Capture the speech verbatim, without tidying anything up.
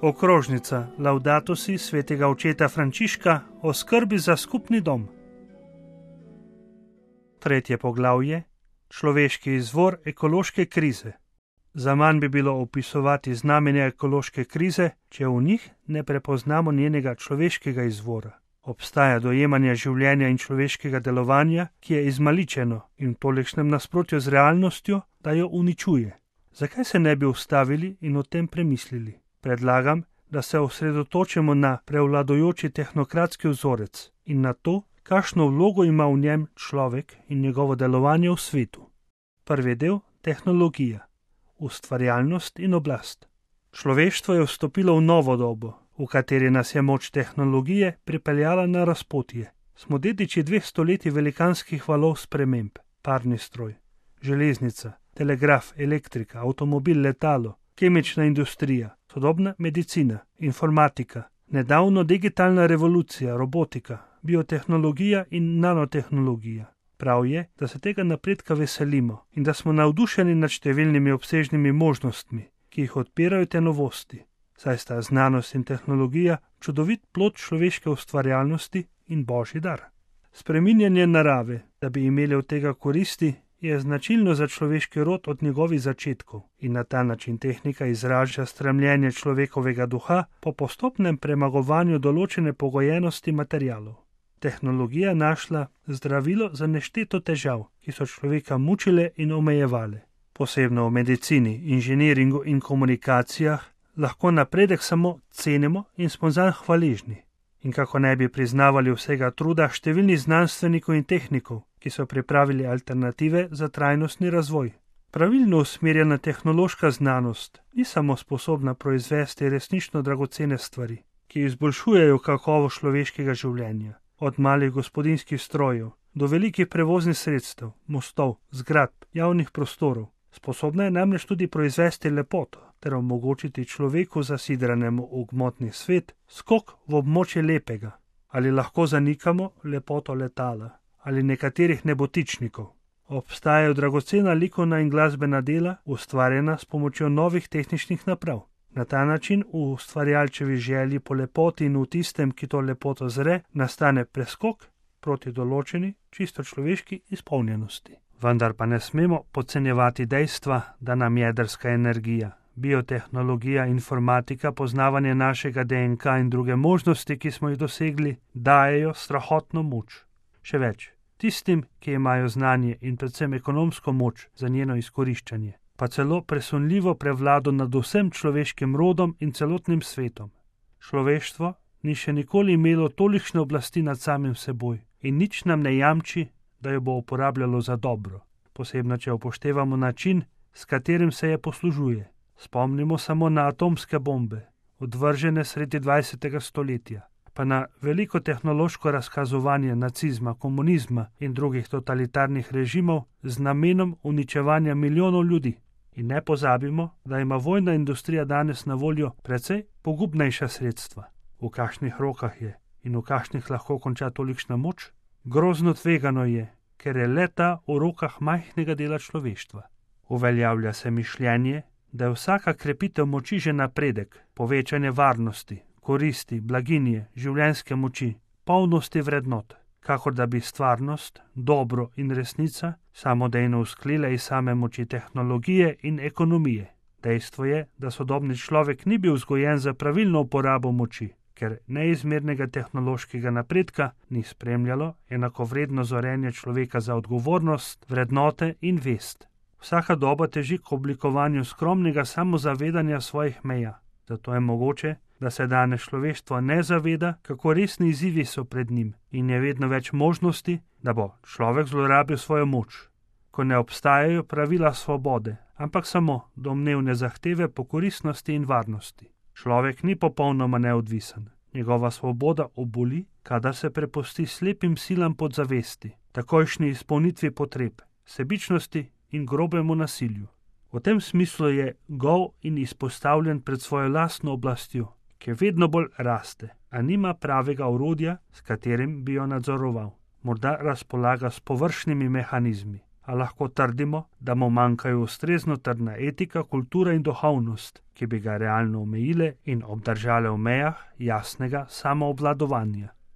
Okrožnica Laudato si svetega očeta Frančiška o skrbi za skupni dom. Tretje poglavje. Človeški izvor ekološke krize. Zaman bi bilo opisovati znamenja ekološke krize, če v njih ne prepoznamo njenega človeškega izvora. Obstaja dojemanje življenja in človeškega delovanja, ki je izmaličeno in v tolikšnem nasprotju z realnostjo, da jo uničuje. Zakaj se ne bi ustavili in o tem premislili? Predlagam, da se osredotočimo na prevladujoči tehnokratski vzorec in na to, kakšno vlogo ima v njem človek in njegovo delovanje v svetu. Prvi del – tehnologija, ustvarjalnost in oblast. Človeštvo je vstopilo v novo dobo, v kateri nas je moč tehnologije pripeljala na razpotje. Smo dediči dveh stoletij velikanskih valov sprememb, parni stroj, železnica, telegraf, elektrika, avtomobil, letalo, kemična industrija, sodobna medicina, informatika, nedavno digitalna revolucija, robotika, biotehnologija in nanotehnologija. Prav je, da se tega napredka veselimo in da smo navdušeni nad številnimi obsežnimi možnostmi, ki jih odpirajo te novosti, saj sta znanost in tehnologija čudovit plod človeške ustvarjalnosti in božji dar. Spreminjanje narave, da bi imeli od tega koristi, je značilno za človeški rod od njegovih začetkov in na ta način tehnika izraža stremljenje človekovega duha po postopnem premagovanju določene pogojenosti materialov. Tehnologija našla zdravilo za nešteto težav, ki so človeka mučile in omejevale. Posebno v medicini, inženiringu in komunikacijah lahko napredek samo cenimo in smo zanj hvaležni. In kako ne bi priznavali vsega truda številnih znanstvenikov in tehnikov, ki so pripravili alternative za trajnostni razvoj. Pravilno usmerjena tehnološka znanost ni samo sposobna proizvesti resnično dragocene stvari, ki izboljšujejo kakovost človeškega življenja, od malih gospodinjskih strojev do velikih prevoznih sredstev, mostov, zgradb, javnih prostorov. Sposobna je namreč tudi proizvesti lepoto ter omogočiti človeku zasidranemu v gmotni svet skok v območje lepega. Ali lahko zanikamo lepoto letala ali nekaterih nebotičnikov? Obstajajo dragocena likovna in glasbena dela, ustvarjena s pomočjo novih tehničnih naprav. Na ta način v ustvarjalčevi želji po lepoti in v tistem, ki to lepoto zre, nastane preskok proti določeni čisto človeški izpolnjenosti. Vendar pa ne smemo podcenjevati dejstva, da nam jedrska energija, biotehnologija, informatika, poznavanje našega D N K in druge možnosti, ki smo jih dosegli, dajejo strahotno moč. Še več, tistim, ki imajo znanje in predvsem ekonomsko moč za njeno izkoriščanje, pa celo presunljivo prevlado nad vsem človeškim rodom in celotnim svetom. Človeštvo ni še nikoli imelo tolikšne oblasti nad samim seboj in nič nam ne jamči, da jo bo uporabljalo za dobro, posebno če upoštevamo način, s katerim se je poslužuje. Spomnimo samo na atomske bombe, odvržene sredi dvajsetega stoletja, pa na veliko tehnološko razkazovanje nacizma, komunizma in drugih totalitarnih režimov z namenom uničevanja milijonov ljudi. In ne pozabimo, da ima vojna industrija danes na voljo precej pogubnejša sredstva. V kakšnih rokah je in v kakšnih lahko konča tolikšna moč? Grozno tvegano je, ker je le-ta v rokah majhnega dela človeštva. Uveljavlja se mišljenje, da je vsaka krepitev moči že napredek, povečanje varnosti, koristi, blaginje, življenjske moči, polnosti vrednot, kakor da bi stvarnost, dobro in resnica samodejno usklile iz same moči tehnologije in ekonomije. Dejstvo je, da sodobni človek ni bil vzgojen za pravilno uporabo moči, ker neizmernega tehnološkega napredka ni spremljalo enakovredno zorenje človeka za odgovornost, vrednote in vest. Vsaka doba teži k oblikovanju skromnega samozavedanja svojih meja. Zato je mogoče, da se danes človeštvo ne zaveda, kako resni izzivi so pred njim in je vedno več možnosti, da bo človek zlorabil svojo moč. Ko ne obstajajo pravila svobode, ampak samo domnevne zahteve po koristnosti in varnosti. Človek ni popolnoma neodvisen. Njegova svoboda oboli, kadar se prepusti slepim silam podzavesti, takojšnji izpolnitvi potreb, sebičnosti in grobemu nasilju. V tem smislu je gol in izpostavljen pred svojo lastno oblastjo, ki vedno bolj raste, a nima pravega orodja, s katerim bi jo nadzoroval. Morda razpolaga s površnimi mehanizmi, a lahko trdimo, da mu manjkajo ustrezno trdna etika, kultura in duhovnost, ki bi ga realno omejile in obdržale v mejah jasnega samoobvladovanja.